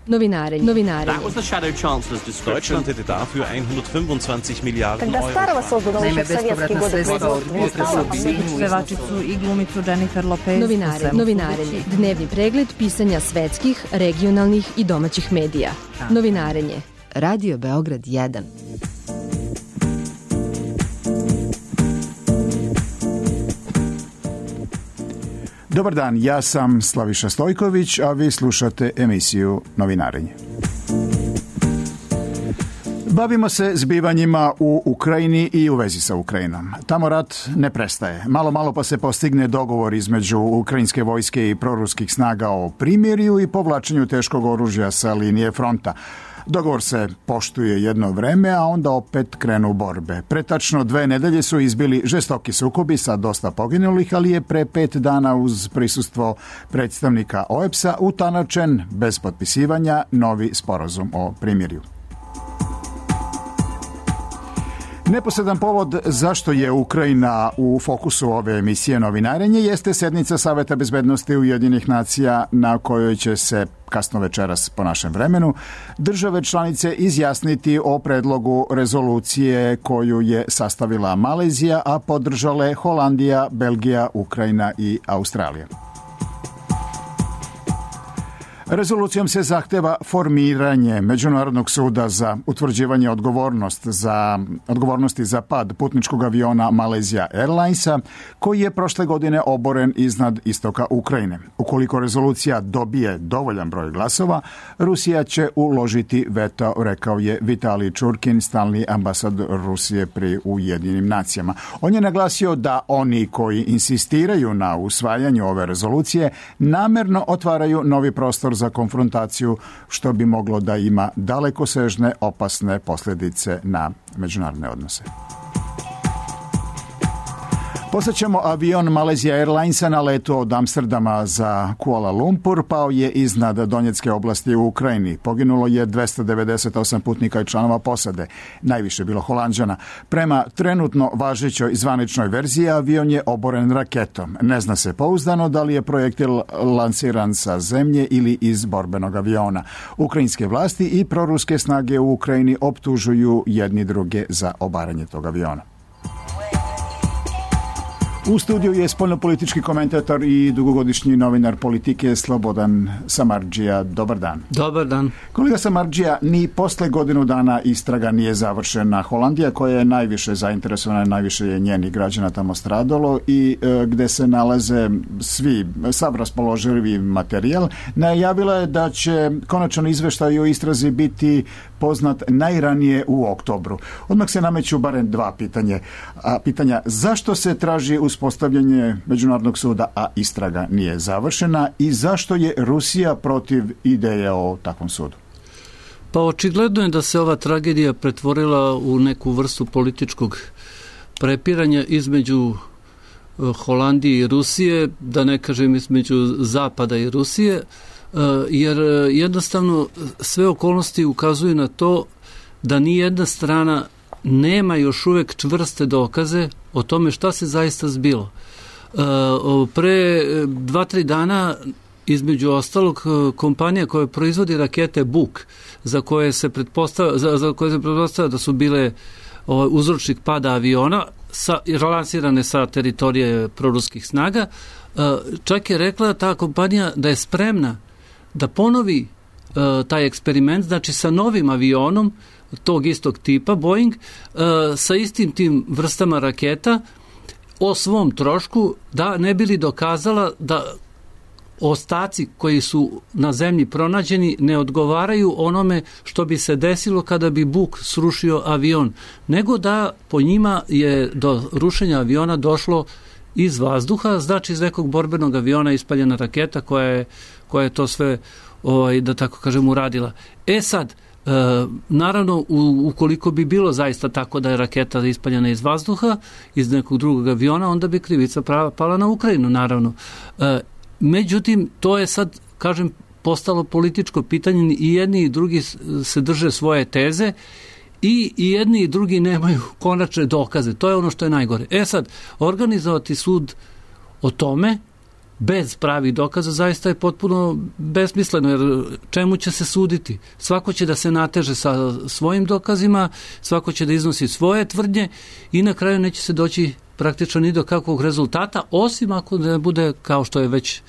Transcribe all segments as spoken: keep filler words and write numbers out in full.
Novinarenje. Novinarenje. That was the Shadow Chancellor's description. Deutschland hätte dafür hundertfünfundzwanzig Milliarden Когда старого создано еще в советские годы производства. Pevačicu i glumicu Jennifer Lopez. Novinare, novinarenje. Dnevni pregled pisanja svetskih, regionalnih i domaćih medija. Novinarenje. Radio Beograd jedan. Dobar dan, ja sam Slaviša Stojković, a vi slušate emisiju Novinarenje. Bavimo se zbivanjima u Ukrajini i u vezi sa Ukrajinom. Tamo rat ne prestaje. Malo, malo pa se postigne dogovor između ukrajinske vojske i proruskih snaga o primirju i povlačenju teškog oružja sa linije fronta. Dogovor se poštuje jedno vreme, a onda opet krenu borbe. Pre tačno dve nedelje su izbili žestoki sukobi sa dosta poginulih, ali je pre pet dana uz prisustvo predstavnika O E B S-a utanačen bez potpisivanja novi sporazum o primirju. Neposredan povod zašto je Ukrajina u fokusu ove emisije Novinarenje jeste sednica Saveta bezbednosti Ujedinjenih nacija na kojoj će se kasno večeras po našem vremenu države članice izjasniti o predlogu rezolucije koju je sastavila Malezija, a podržale Holandija, Belgija, Ukrajina i Australija. Rezolucijom se zahteva formiranje Međunarodnog suda za utvrđivanje odgovornost za, odgovornosti za pad putničkog aviona Malaysia Airlinesa, koji je prošle godine oboren iznad istoka Ukrajine. Ukoliko rezolucija dobije dovoljan broj glasova, Rusija će uložiti veto, rekao je Vitalij Čurkin, stalni ambasador Rusije pri Ujedinjenim nacijama. On je naglasio da oni koji insistiraju na usvajanju ove rezolucije namerno otvaraju novi prostor za konfrontaciju, što bi moglo da ima dalekosežne opasne posljedice na međunarodne odnose. Posjećamo avion Malaysia Airlinesa na letu od Amsterdama za Kuala Lumpur pao je iznad Donjecke oblasti u Ukrajini. Poginulo je dvesta devedeset osam putnika i članova posade. Najviše bilo Holanđana. Prema trenutno važećoj zvaničnoj verziji avion je oboren raketom. Ne zna se pouzdano da li je projektil lansiran sa zemlje ili iz borbenog aviona. Ukrajinske vlasti i proruske snage u Ukrajini optužuju jedni druge za obaranje tog aviona. U studiju je spoljnopolitički komentator i dugogodišnji novinar politike Slobodan Samardžija. Dobar dan. Dobar dan. Kolega Samardžija, ni posle godinu dana istraga nije završena. Holandija, koja je najviše zainteresovana, najviše je njenih građana tamo stradalo i e, gde se nalaze svi, sav raspoloživi materijal, najavila je da će konačan izveštaj o istrazi biti poznat najranije u oktobru. Odmah se nameću barem dva pitanje. A, pitanja zašto se traži uspostavljanje Međunarodnog suda, a istraga nije završena, i zašto je Rusija protiv ideje o takvom sudu? Pa očigledno je da se ova tragedija pretvorila u neku vrstu političkog prepiranja između Holandije i Rusije, da ne kažem između Zapada i Rusije, jer jednostavno sve okolnosti ukazuju na to da ni jedna strana nema još uvek čvrste dokaze o tome šta se zaista zbilo. Pre dva, tri dana, između ostalog, kompanija koja proizvodi rakete Buk, za koje se pretpostavlja, za, za koje se pretpostavlja da su bile uzročnik pada aviona, sa, relansirane sa teritorije proruskih snaga, čak je rekla ta kompanija da je spremna da ponovi uh, taj eksperiment, znači sa novim avionom tog istog tipa, Boeing, uh, sa istim tim vrstama raketa o svom trošku, da ne bili dokazala da ostaci koji su na zemlji pronađeni ne odgovaraju onome što bi se desilo kada bi Buk srušio avion, nego da po njima je do rušenja aviona došlo iz vazduha, znači iz nekog borbenog aviona ispaljena raketa koja je, koja je to sve, ovaj, da tako kažem, uradila. E sad, e, naravno, u, ukoliko bi bilo zaista tako da je raketa ispaljena iz vazduha, iz nekog drugog aviona, onda bi krivica prava pala na Ukrajinu, naravno. E, međutim, to je sad, kažem, postalo političko pitanje, i jedni i drugi se drže svoje teze, I, i jedni i drugi nemaju konačne dokaze. To je ono što je najgore. E sad, organizovati sud o tome bez pravih dokaza zaista je potpuno besmisleno, jer čemu će se suditi? Svako će da se nateže sa svojim dokazima, svako će da iznosi svoje tvrdnje i na kraju neće se doći praktično ni do kakvog rezultata, osim ako ne bude, kao što je već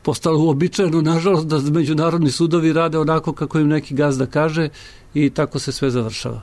postalo uobičajeno, nažalost, da međunarodni sudovi rade onako kako im neki gazda kaže i tako se sve završava.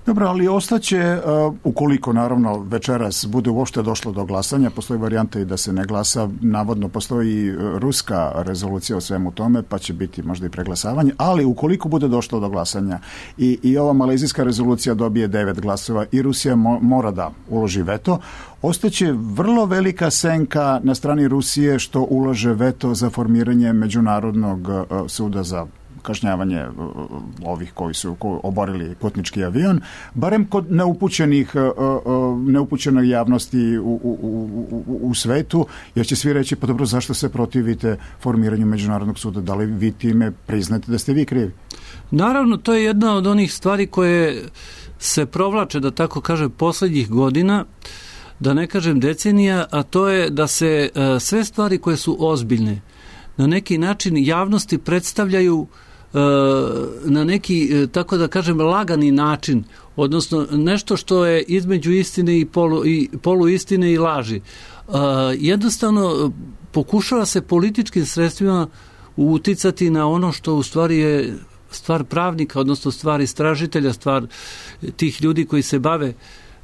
Dobro, ali ostaće, uh, ukoliko naravno večeras bude uopšte došlo do glasanja, postoji varijanta i da se ne glasa, navodno postoji ruska rezolucija o svemu tome, pa će biti možda i preglasavanje, ali ukoliko bude došlo do glasanja i, i ova malezijska rezolucija dobije devet glasova i Rusija mo, mora da uloži veto, ostaće vrlo velika senka na strani Rusije što ulaže veto za formiranje Međunarodnog uh, suda za kažnjavanje ovih koji su oborili putnički avion, barem kod neupućenih, neupućene javnosti u, u, u, u svetu, jer će svi reći, pa dobro, zašto se protivite formiranju Međunarodnog suda? Da li vi time priznate da ste vi krivi? Naravno, to je jedna od onih stvari koje se provlače, da tako kažem, poslednjih godina, da ne kažem decenija, a to je da se sve stvari koje su ozbiljne na neki način javnosti predstavljaju na neki, tako da kažem, lagani način, odnosno nešto što je između istine i, polu, i poluistine i laži. Jednostavno pokušava se političkim sredstvima uticati na ono što u stvari je stvar pravnika, odnosno stvar istražitelja, stvar tih ljudi koji se bave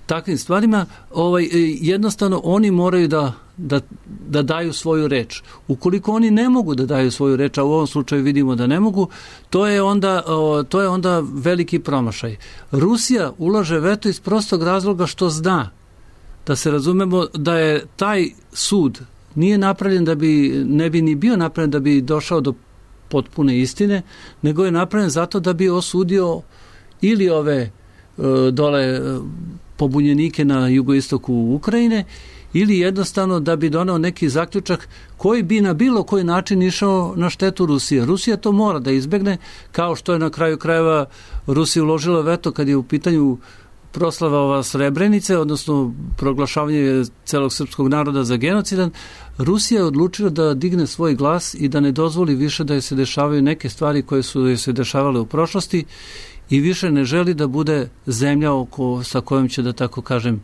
takvim stvarima. Ovaj, jednostavno oni moraju da Da, da daju svoju reč. Ukoliko oni ne mogu da daju svoju reč, a u ovom slučaju vidimo da ne mogu, to je onda, to je onda veliki promašaj. Rusija ulaže veto iz prostog razloga što zna, da se razumemo, da je taj sud nije napravljen da bi, ne bi ni bio napravljen da bi došao do potpune istine, nego je napravljen zato da bi osudio ili ove dole pobunjenike na jugoistoku Ukrajine, ili jednostavno da bi donao neki zaključak koji bi na bilo koji način išao na štetu Rusije. Rusija to mora da izbegne, kao što je na kraju krajeva Rusija uložila veto kad je u pitanju proslava ova Srebrenice, odnosno proglašavanje celog srpskog naroda za genocidan. Rusija je odlučila da digne svoj glas i da ne dozvoli više da se dešavaju neke stvari koje su se dešavale u prošlosti i više ne želi da bude zemlja oko, sa kojom će, da tako kažem,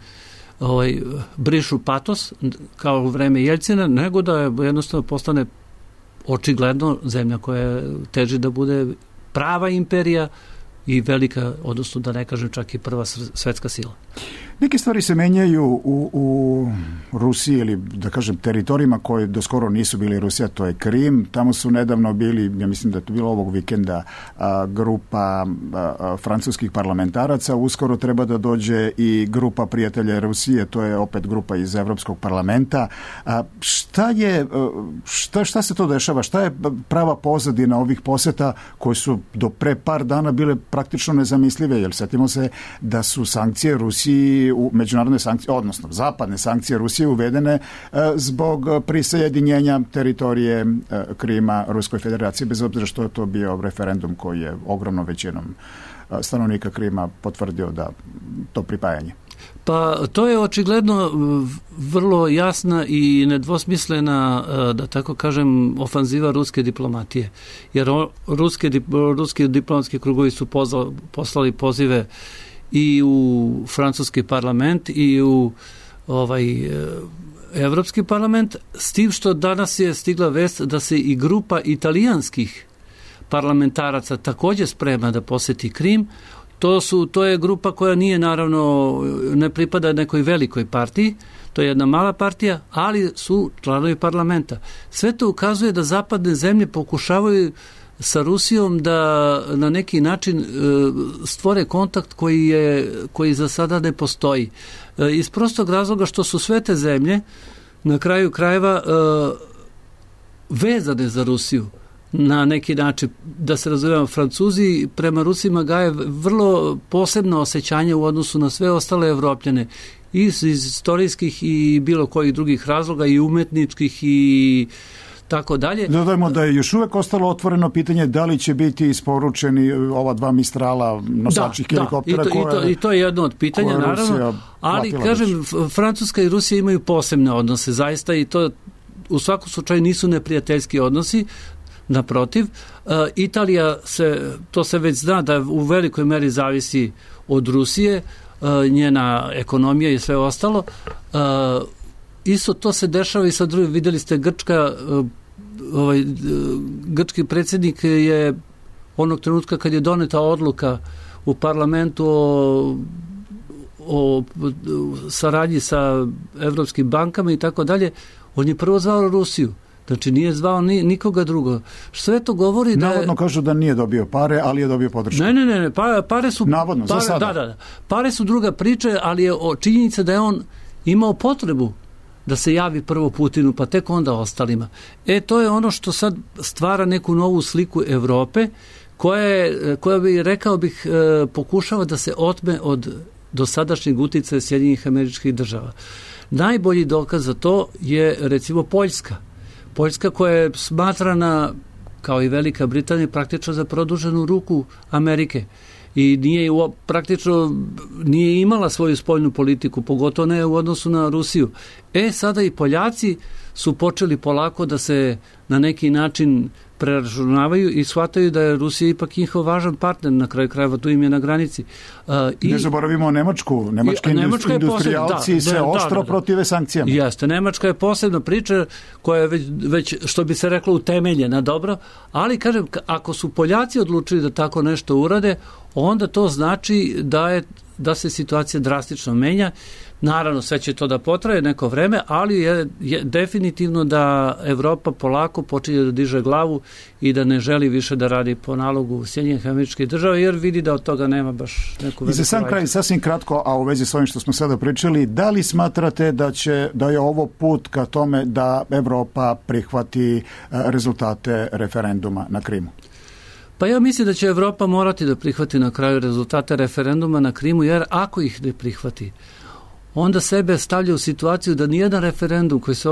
ovaj, brišu patos kao u vreme Jeljcina, nego da je jednostavno postane očigledno zemlja koja teži da bude prava imperija i velika, odnosno da ne kažem čak i prva svetska sila. Neke stvari se menjaju u, u Rusiji ili da kažem teritorijima koji do skoro nisu bili Rusija, to je Krim. Tamo su nedavno bili, ja mislim da je to bilo ovog vikenda, a, grupa a, francuskih parlamentaraca. Uskoro treba da dođe i grupa prijatelja Rusije, to je opet grupa iz Evropskog parlamenta. A, šta je, šta, šta se to dešava? Šta je prava pozadina ovih poseta koje su do pre par dana bile praktično nezamislive? Jer setimo se da su sankcije Rusiji, u međunarodne sankcije, odnosno zapadne sankcije Rusije uvedene e, zbog prisajedinjenja teritorije e, Krima Ruskoj federaciji, bez obzira što je to bio referendum koji je ogromnom većinom e, stanovnika Krima potvrdio da to pripajanje. Pa to je očigledno vrlo jasna i nedvosmislena, da tako kažem, ofanziva ruske diplomatije. Jer ruske, ruski diplomatski krugovi su pozvali, poslali pozive i u francuski parlament i u ovaj Evropski parlament, s tim što danas je stigla vest da se i grupa italijanskih parlamentaraca također sprema da poseti Krim. To, su, to je grupa koja nije, naravno, ne pripada nekoj velikoj partiji, to je jedna mala partija, ali su članovi parlamenta. Sve to ukazuje da zapadne zemlje pokušavaju sa Rusijom da na neki način stvore kontakt koji, je, koji za sada ne postoji. Iz prostog razloga što su sve te zemlje na kraju krajeva vezane za Rusiju. Na neki način, da se razumijemo, Francuzi prema Rusima gaje vrlo posebno osjećanje u odnosu na sve ostale Evropljane, i iz istorijskih i bilo kojih drugih razloga, i umetničkih i tako dalje. Dodajmo da je još uvek ostalo otvoreno pitanje da li će biti isporučeni ova dva Mistrala nosačih da, helikoptera. Da, i to, koje, i, to, i to je jedno od pitanja, naravno, ali kažem, već. Francuska i Rusija imaju posebne odnose, zaista, i to u svakom slučaju nisu neprijateljski odnosi, naprotiv. Italija, se, to se već zna da u velikoj meri zavisi od Rusije, njena ekonomija i sve ostalo. Isto to se dešava i sa drugim. Vidjeli ste Grčka, ovaj, grčki predsjednik je onog trenutka kad je doneta odluka u parlamentu o, o saradnji sa evropskim bankama i tako dalje, on je prvo zvao Rusiju. Znači nije zvao ni, nikoga drugo. Sve to govori da... Navodno kažu da nije dobio pare, ali je dobio podršku. Ne, ne, ne, ne pa, pare su... Navodno, pare, za sada. Da, da, da. Pare su druga priča, ali je činjenica da je on imao potrebu da se javi prvo Putinu, pa tek onda ostalima. E, to je ono što sad stvara neku novu sliku Evrope, koja, je, koja bi, rekao bih, pokušava da se otme od dosadašnjeg uticaja Sjedinjenih Američkih Država. Najbolji dokaz za to je, recimo, Poljska. Poljska koja je smatrana, kao i Velika Britanija, praktično za produženu ruku Amerike. I nije praktično nije imala svoju spoljnu politiku, pogotovo ne u odnosu na Rusiju. E, sada i Poljaci su počeli polako da se na neki način preračunavaju i shvataju da je Rusija ipak njihov važan partner, na kraju krajeva tu im je na granici. Uh, ne zaboravimo Nemačku. Nemački Nemačka industrijalci da, se da, ostro da, da. protive sankcijama. Jeste, Nemačka je posebna priča koja je već, već, što bi se reklo, utemeljena dobro, ali kažem, ako su Poljaci odlučili da tako nešto urade, onda to znači da je da se situacija drastično menja. Naravno, sve će to da potraje neko vreme, ali je, je definitivno da Evropa polako počinje da diže glavu i da ne želi više da radi po nalogu Sjedinjenih Američkih Država, jer vidi da od toga nema baš neku veliku. I za sam kraj, sasvim kratko, a u vezi s ovim što smo sada pričali, da li smatrate da će da je ovo put ka tome da Evropa prihvati rezultate referenduma na Krimu? Pa ja mislim da će Evropa morati da prihvati na kraju rezultate referenduma na Krimu, jer ako ih ne prihvati, onda sebe stavlja u situaciju da nijedan referendum koji, se,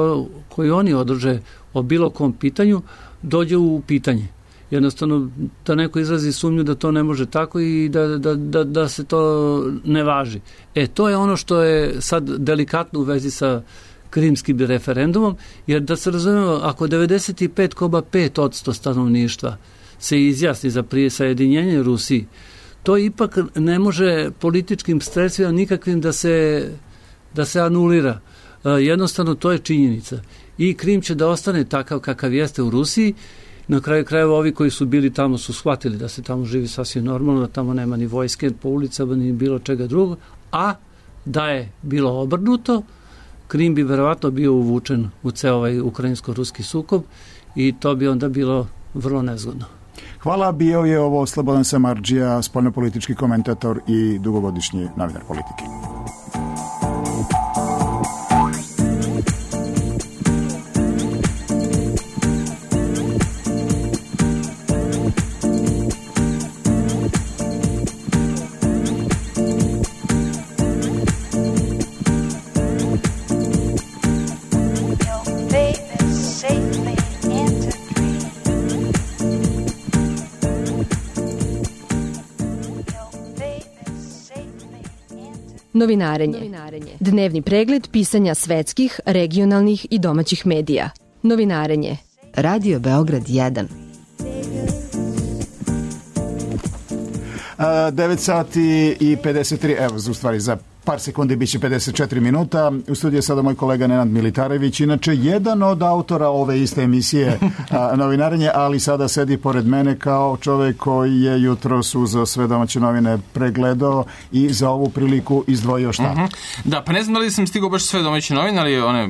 koji oni održe o bilo kom pitanju dođe u pitanje. Jednostavno da neko izrazi sumnju da to ne može tako i da, da, da, da se to ne važi. E, to je ono što je sad delikatno u vezi sa krimskim referendumom, jer da se razumemo, ako devedeset pet zarez pet posto stanovništva se izjasni za prisajedinjenje Rusiji, to ipak ne može političkim sredstvima nikakvim da se, da se anulira. E, jednostavno to je činjenica. I Krim će da ostane takav kakav jeste u Rusiji. Na kraju krajeva ovi koji su bili tamo su shvatili da se tamo živi sasvim normalno, da tamo nema ni vojske po ulicama, ni bilo čega drugog, a da je bilo obrnuto, Krim bi verovatno bio uvučen u ceo ovaj ukrajinsko-ruski sukob i to bi onda bilo vrlo nezgodno. Hvala, bio je ovo Slobodan Samardžija, spoljnopolitički komentator i dugogodišnji novinar politike. Novinarenje. Dnevni pregled pisanja svetskih, regionalnih i domaćih medija. Novinarenje. Radio Beograd jedan. devet sati i pedeset tri, evo, u stvari za par sekundi bit će pedeset četiri minuta. U studiju je sada moj kolega Nenad Militarević, inače jedan od autora ove iste emisije a, Novinarenje, ali sada sedi pored mene kao čovek koji je jutros uzeo sve domaće novine pregledao i za ovu priliku izdvojio šta? Uh-huh. Da, pa ne znam da li sam stigao baš sve domaće novine, ali one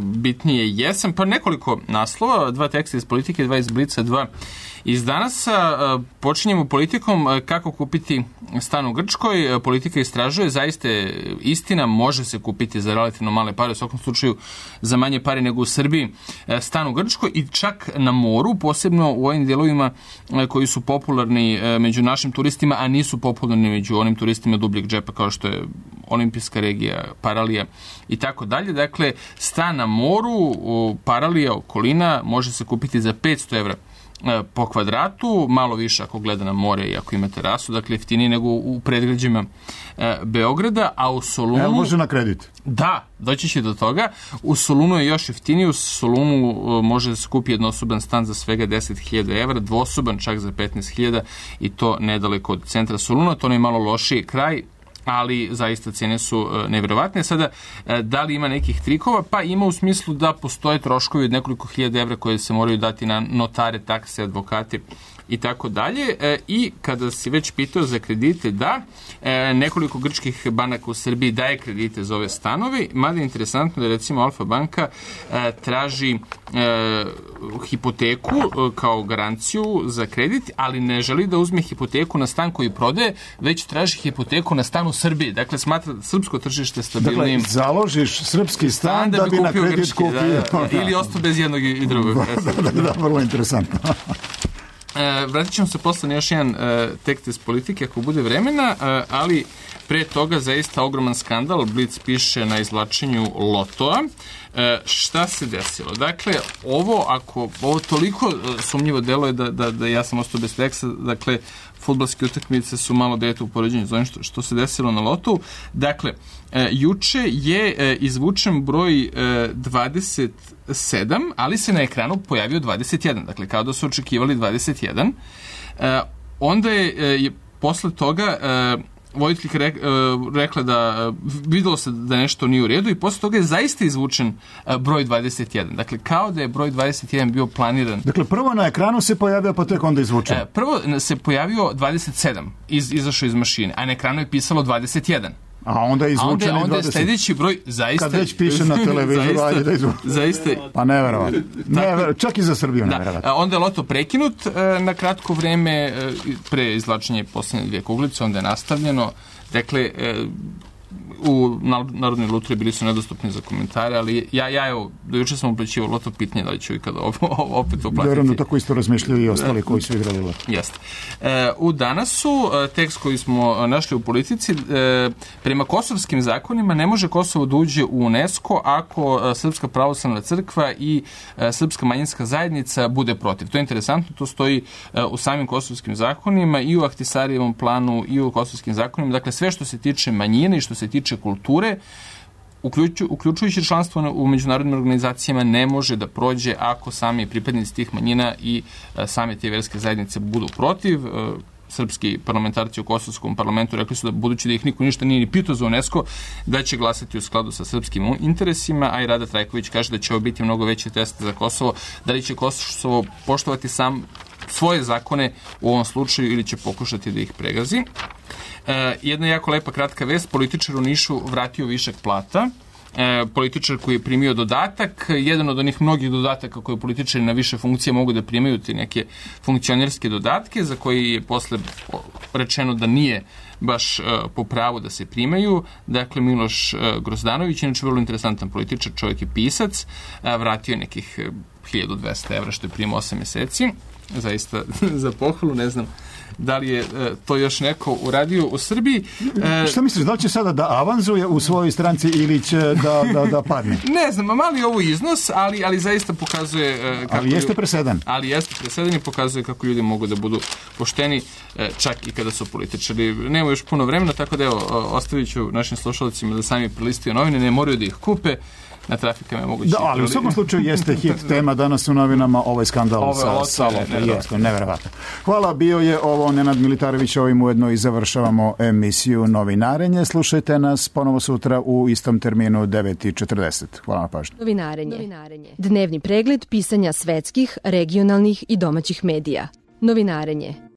bitnije jesam. Pa nekoliko naslova, dva teksta iz Politike, dva iz Blica, dva iz Danasa. Počinjemo politikom kako kupiti stan u Grčkoj. Politika istražuje, zaista istina, može se kupiti za relativno male pare, u svakom slučaju za manje pare nego u Srbiji, stan u Grčkoj i čak na moru, posebno u ovim dijelovima koji su popularni među našim turistima, a nisu popularni među onim turistima dubljeg džepa kao što je olimpijska regija, Paralija i tako dalje. Dakle, stan na moru, Paralija, okolina, može se kupiti za petsto evra po kvadratu, malo više ako gleda na more i ako ima terasu, dakle jeftinije nego u predgrađima Beograda, a u Solunu... Evo može na kredit. Da, doći će do toga. U Solunu je još jeftiniji, u Solunu može da se kupi jednosoban stan za svega deset hiljada evra, dvosoban čak za petnaest hiljada i to nedaleko od centra Soluna, to je malo lošiji kraj, ali zaista cene su nevjerovatne. Sada, da li ima nekih trikova? Pa ima u smislu da postoje troškovi od nekoliko hiljada evra koje se moraju dati na notare, takse, advokate i tako dalje. I kada si već pitao za kredite, da, nekoliko grčkih banaka u Srbiji daje kredite za ove stanove, mada je interesantno da recimo Alfa banka traži hipoteku kao garanciju za kredit, ali ne želi da uzme hipoteku na stan koji prodaje, već traži hipoteku na stan u Srbiji. Dakle, smatra srpsko tržište stabilnim. Dakle, založiš srpski stan, stan da, da bi na kredit grčki, kupio. Da, da, ili ostao bez jednog i drugog. Da, da, da, vrlo interesantno. E, vratit ćemo se posle na još jedan e, tekst iz politike ako bude vremena, e, ali pre toga zaista ogroman skandal. Blic piše na izvlačenju lotoa. E, šta se desilo? Dakle, ovo ako ovo toliko sumnjivo delo je da, da, da ja sam ostao bez teksta, dakle, fudbalske utakmice su malo dete u poređenju za onim što, što se desilo na lotu. Dakle, e, juče je e, izvučen broj e, dvadeset sedam, ali se na ekranu pojavio dvadeset jedan. Dakle, kao da su očekivali dvadeset jedan. E, onda je, je posle toga e, voditeljka re, rekla da videlo se da nešto nije u redu i posle toga je zaista izvučen broj dvadeset jedan. Dakle, kao da je broj dvadeset jedan bio planiran. Dakle, prvo na ekranu se pojavio, pa tek onda izvučen. Prvo se pojavio dvadeset sedam, iz, izašao iz mašine, a na ekranu je pisalo dvadeset jedan. A onda je izvučen i dvadeset. Onda je sljedeći broj zaista... Kad već piše na televizoru, ajde da izvučen. Zaista... Pa neverovatno. Never, čak i za Srbiju neverovatno. Da. Onda je loto prekinut na kratko vreme pre izvlačenja posljednje dvije kuglice, onda je nastavljeno. Dakle, u Narodnoj lutriji bili su nedostupni za komentare, ali ja, ja evo, do juče sam uplaćivao loto, pitanje da li ću ikada opet uplatiti. Vjerujem da tako isto razmišljaju i ostali koji su igrali loto. Jeste. E, u danasu, tekst koji smo našli u politici, e, prema kosovskim zakonima ne može Kosovo da uđe u UNESCO ako Srpska pravoslavna crkva i e, Srpska manjinska zajednica bude protiv. To je interesantno, to stoji e, u samim kosovskim zakonima i u Ahtisarijevom planu i u kosovskim zakonima. Dakle, sve što se tiče manjine i što se tiče kulture, uključu, uključujući članstvo u međunarodnim organizacijama, ne može da prođe ako sami pripadnici tih manjina i e, same te verske zajednice budu protiv. E, srpski parlamentarci u kosovskom parlamentu rekli su da, budući da ih niko ništa nije ni pitao za UNESCO, da će glasati u skladu sa srpskim interesima, a i Rada Trajković kaže da će ovo biti mnogo veći test za Kosovo, da li će Kosovo poštovati sam svoje zakone u ovom slučaju ili će pokušati da ih pregazi. E, jedna jako lepa kratka vest, političar u Nišu vratio višak plata. E, političar koji je primio dodatak, jedan od onih mnogih dodataka koje političari na više funkcije mogu da primaju, te neke funkcionerske dodatke za koji je posle rečeno da nije baš e, po pravu da se primaju. Dakle, Miloš e, Grozdanović, inače vrlo interesantan političar, čovjek je pisac, e, vratio nekih hiljadu dvesta evra što je primio osam meseci. Zaista za pohvalu, ne znam da li je e, to još neko uradio u Srbiji. E, Šta misliš, da li će sada da avanzuje u svojoj stranci ili će da, da, da padne? Ne znam, mali je ovo iznos, ali, ali zaista pokazuje... E, kako ali jeste presedan. Ali jeste presedan i pokazuje kako ljudi mogu da budu pošteni, e, čak i kada su političari. Nema još puno vremena, tako da evo, ostavit ću našim slušalcima da sami prelistaju novine, ne moraju da ih kupe. Na trafikama je moguće. Da, ali u svakom slučaju jeste hit tema danas u novinama, ovaj skandal Ove, sa Salom. Jeste, neverovatno. Hvala, bio je ovo Nenad Militarević, ovim ujedno i završavamo emisiju Novinarenje. Slušajte nas ponovo sutra u istom terminu devet i četrdeset. Hvala na pažnju. Novinarenje. Novinarenje. Dnevni pregled pisanja svetskih, regionalnih i domaćih medija. Novinarenje.